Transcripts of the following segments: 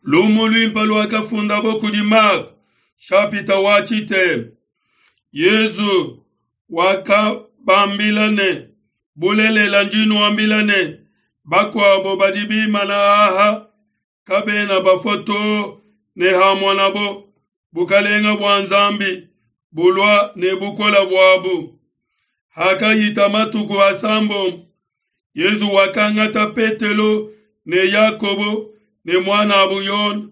Lumu luimpe luakafundabo kudi Marko, shapita wa tshitema. Yezu wakabambila ne, Bulelela ndi nuambila ne, bakuabo badi bimana aha kabena bafua too ne hamonabo bukelenge bua Nzambi bulua ne bukole buabu. Hakahita matuku asambombo, Yezu wakangata Petelo ne Yakobo ne muan'abu Yone,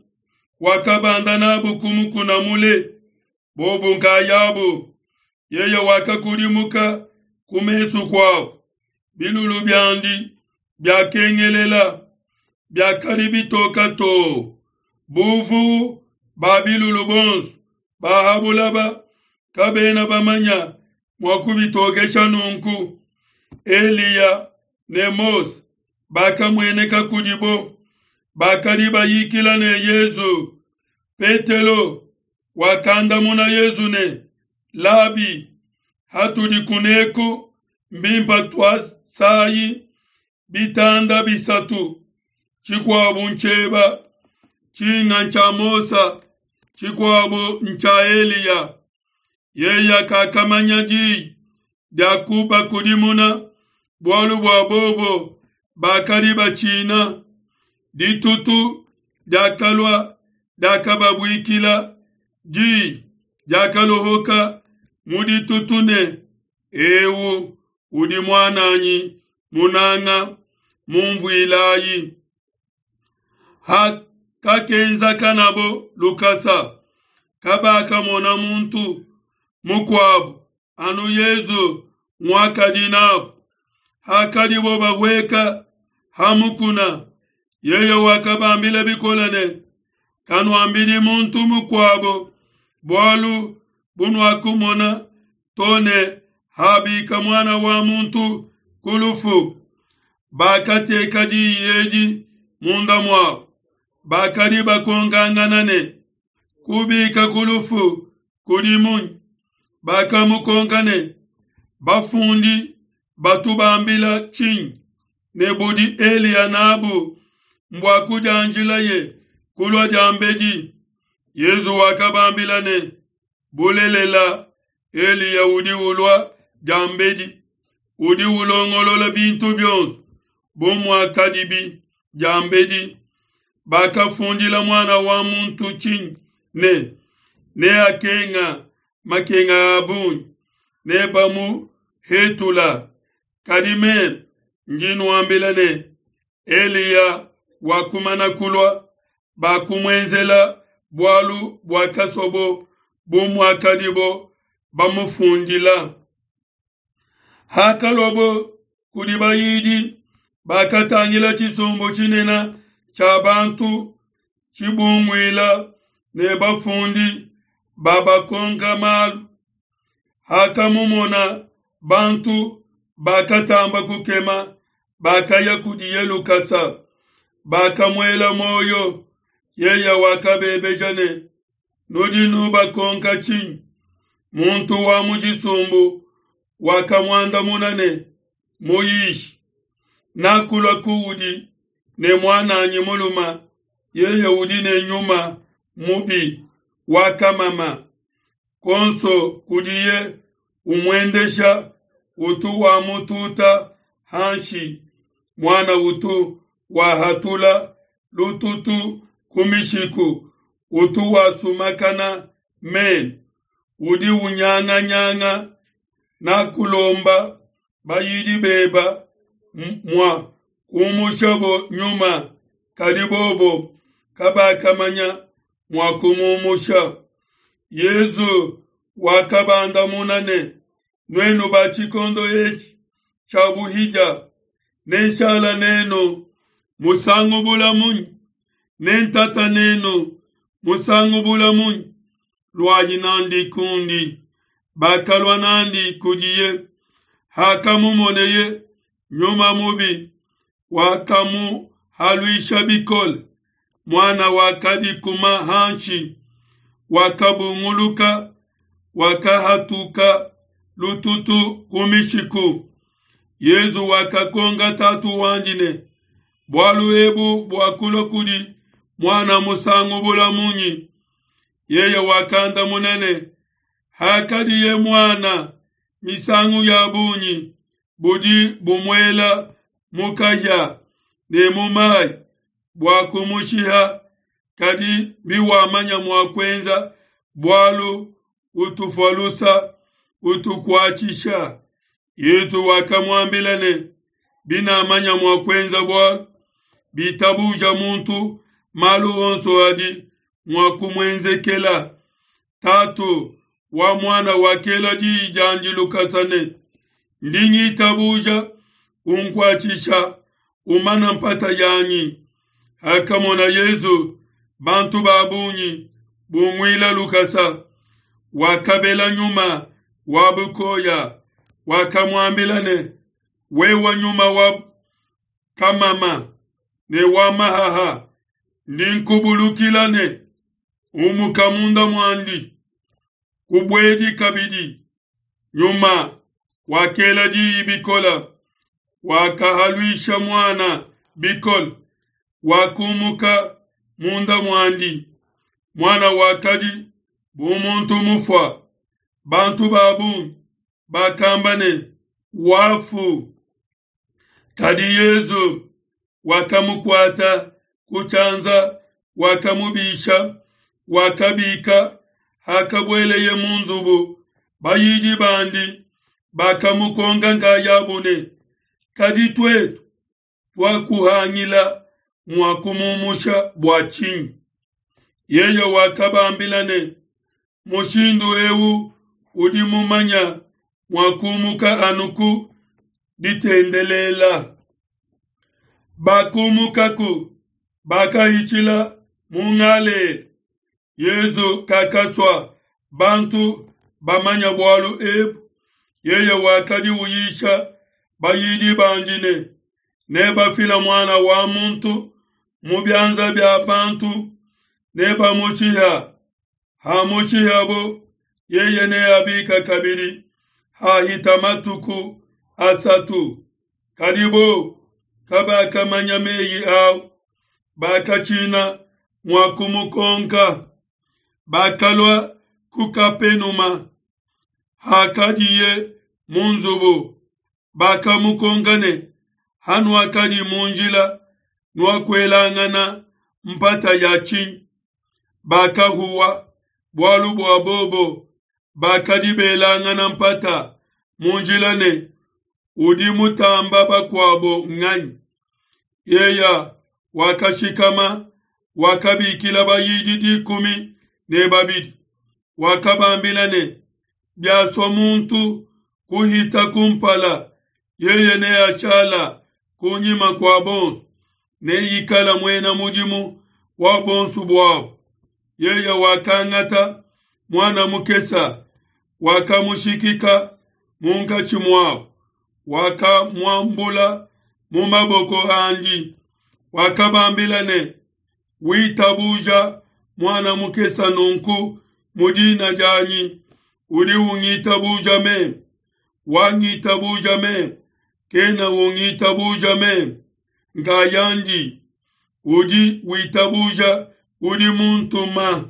wakabanda n'abu ku mukuna mule, bobu nkayabu. Yeye wakakudimuka ku mesu kuabu, bilulu biandi biakengelela, biakadi bitoka too. Buvu ba bilulu bonso ba ha bulaba kabena bamanya mua kubitokesha nunku. Eliya ne Mose bakamueneka kudibo, bakadi bayikila ne Yezu. Petelo wakandamuna Yezu ne, Labi, hatudi kuneku mbimpa tuasayi bitanda bisatu, tshikuabu ntshieba, tshinga ntshia Mose, tshikuabu ntshia Eliya. Yeye kakamanya diyi dia kubakudimuna, bualu bua bobo bakadi batshina. Ditutu diakalua diakababuikila, diyi diakalohoka mu ditutu ne, Eu udi muananyi munanga, mumvuilayi. Hakakenzakanabo lukasa, kabakamona muntu mukuabu anu Yezu nguakadi nabu. Hakadibo bahueka ha mukuna, yeye wakabambila bikole ne, Kanuambidi muntu mukuabo bualu bunuakumona to ne habika Muana wa muntu ku lufu. Bakateka diyi edi munda muabo, bakadi bakonkangana ne, Kubika ku lufu kudi munyi? Bakamukonka ne, Bafundi batu bambila tshinyi ne budi Eliya nabu mbua kudianjilaye kulua diambedi? Yezu wakabambila ne, Bulelela, Eliya udi ulua diambedi, udi ulongolola bintu bionso bu muakadibi diambedi. Bakafundila Muana wa muntu tshinyi ne, neakenga makenga a bungi, nebamuhetula? Kadi meme ndi nuambila ne, Eliya wakumana kulua, bakumuenzela bualu buakasobo bu muakadibo bamufundila. Hakaluabo kudi bayidi, bakatangila tshisumbu tshinene tshia bantu tshibunguila ne bafundi babakonka malu. Hakamumona bantu, bakatamba kukema, bakaya kudiye lukasa, bakamuela muoyo. Yeye wakabebeja ne, Nudi nubakonka tshinyi? Muntu wa mu tshisumbu wakamuandamuna ne, Muyishi, nakulua kuudi ne muananyi mulume, yeye udi ne nyuma mubi wa kamama. Kuonso kudiye umuendesha utu wamututa hanshi, muana utu wahatula lututu ku mishiku, utu wasumakana menu, udi unyanganyanga. Nakulomba bayidi beba mua kumushabo nyuma, kadi bobo kabakamanya mua kumumusha. Yezu wakabandamuna ne, Nuenu ba tshikondo etshi tshia buhidia, nenshala nenu musangu bula munyi? Nentata nenu musangu bula munyi? Luayi nandi kundi. Bakalua nandi kudiye. Hakamumoneye, nyuma mubi wakamuhaluisha bikole. Muana wakadikuma hanshi, wakabunguluka, wakahatuka lututu ku mishiku. Yezu wakakonka tatu wandi ne, Bualu ebu buakulua kudi muana musangu bula munyi? Yeye wakandamuna ne, Hakadiye muana, misangu ya bungi budi bumuela mu kahia ne mu mai bua kumushiha, kadi biwamanya mua kuenza bualu, utufua lusa, utukuatshisha. Yesu wakamuambila ne, Binamanya mua kuenza bualu, bitabuja muntu malu onso adi mua kumuenzekela. Tatu wa muana wakela diyi diandi lukasa ne, Ndi ngitabuja, unkuatshisha, umana mpata yanyi. Hakamona Yesu bantu ba bungi bunguila lukasa, wakabela nyuma wa bukoya, wakamuambila ne, Wewe nyuma wa kamama ne wa mahaha, ndi nkubulukila ne, Umuka munda muandi, kubuedi kabidi. Nyuma wakela diyi bikole, wakahaluisha muana bikole, wakumuka munda muandi. Muana wakadi bu muntu mufua. Bantu ba bungi bakamba ne, Wafu. Kadi Yesu wakamukuata ku tshianza, wakamubisha, wakabika. Hakabueleye mu nzubu, bayidi bandi bakamukonka nkayabu ne, Kadi tuetu tuakuhangila mua kumumusha bua tshinyi? Yeye wakabambila ne, Mushindu eu udi mumanya mua kumuka anu ku ditendelela. Bakumukaku, bakahitshila mu Galela. Yesu kakasua bantu bamanya bualu ebu. Yeye wakadi uyisha bayidi bandi ne, Nebafila Muana wa muntu mu bianza bia bantu, nebamushiha. Hamushihabo, yeye neabika kabidi hahita matuku asatu. Kadi bo kabakamanya meyi au, bakatshina mua kumukonka. Bakalua ku Kapenuma. Hakadiye mu nzubu, bakamukonka ne, Hanuakadi mu njila, nuakuelangana mpata ya tshinyi? Bakahuwa, bualu bua bobo bakadi belangana mpata mu njila ne, Udi mutamba bakuabo nganyi? Yeye wakashikama, wakabikila bayidi 12, wakabambila ne, Biasua muntu kuhita kumpala, yeye neashala kunyima kua bonso, neikala muena mudimu wa bonso buabo. Yeye wakangata muana mukesa, wakamushikika munkatshi muabo, wakamuambula mu maboko andi, wakabambila ne, Witabuja muana mukesa nunku mu dina dianyi, udi ungitabuja meme, wangitabuja meme, kena ungitabuja meme nkayandi, udi witabuja udi muntuma.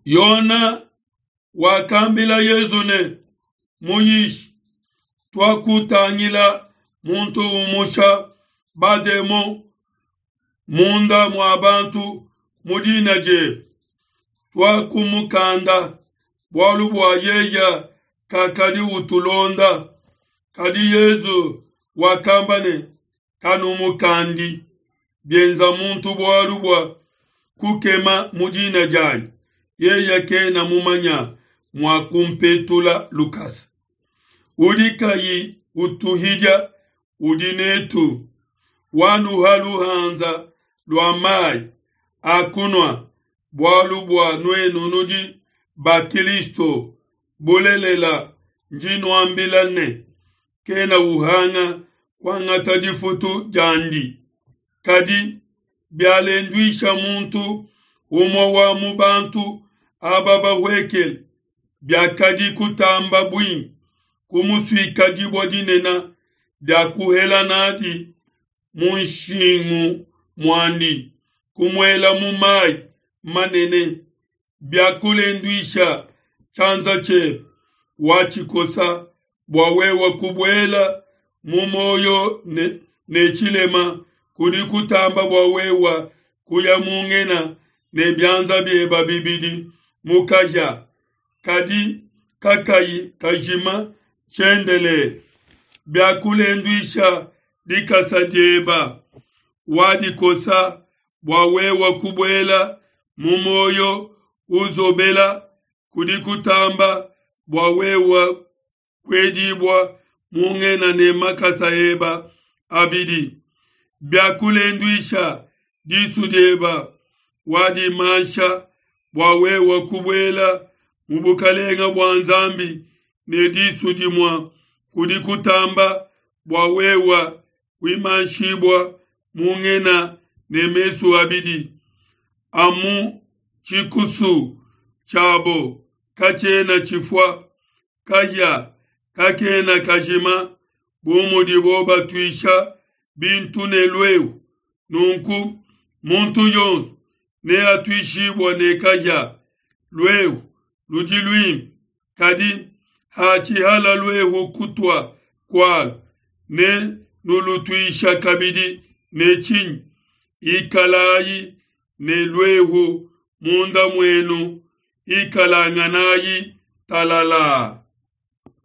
Yona wakambila Yesu ne, Muyishi, tuakutangila muntu umusha bademon munda mua bantu mu dina diebe, tuakumukanda, bualu bua yeye kakadi utulonda. Kadi Yesu wakamba ne, Kanumukandi, bienza muntu bualu bua kukema mu dina dianyi, yeye kena mumanya mua kumpetula lukasa. Udi kayi utuhidia udi netu, wanuha luhanza lua mai a kunua, bualu bua nuenu nudi ba Kilisto. Bulelela, ndi nuambila ne, kena uhanga kuangata difutu diandi. Kadi bialenduisha muntu umue wa mu bantu aba bahuekele, biakadi kutamba buimpe kumusuika dibue dinene dia kuhela nadi mu nshingu muandi, kumuela mu mayi manene. Biakulenduisha tshianza tshiebe, watshikosa, bua wewe kubuela mu muoyo ne, ne tshilema kudi kutamba bua wewe kuya mu ngena ne bianza bieba bibidi mu kahia kadi kakayi kajima tshiendelele. Biakulenduisha dikasa dieba, wadikosa, bua wewe kubuela mu muoyo uzobela kudi kutamba bua wewe kuedibua mu ngena ne makasa eba abidi. Biakulenduisha disu dieba, wadimansha bua wewe kubuela mu bukalenga bua Nzambi ne disu dimue kudi kutamba bua wewe kuimanshibua mu ngena ne mesu abidi. Amu tshikusu tshiabo katshiena tshifua, kahia kakena kajima, bu mudibo batuisha bintu ne luehu. Nunku muntu yonso neatuishibue ne kahia. Luehu ludi luimpe, kadi hatshihala luehu kutua kualu, ne nulutuisha kabidi ne tshinyi? Ikalayi ne luehu munda muenu, ikalanganayi talalaa.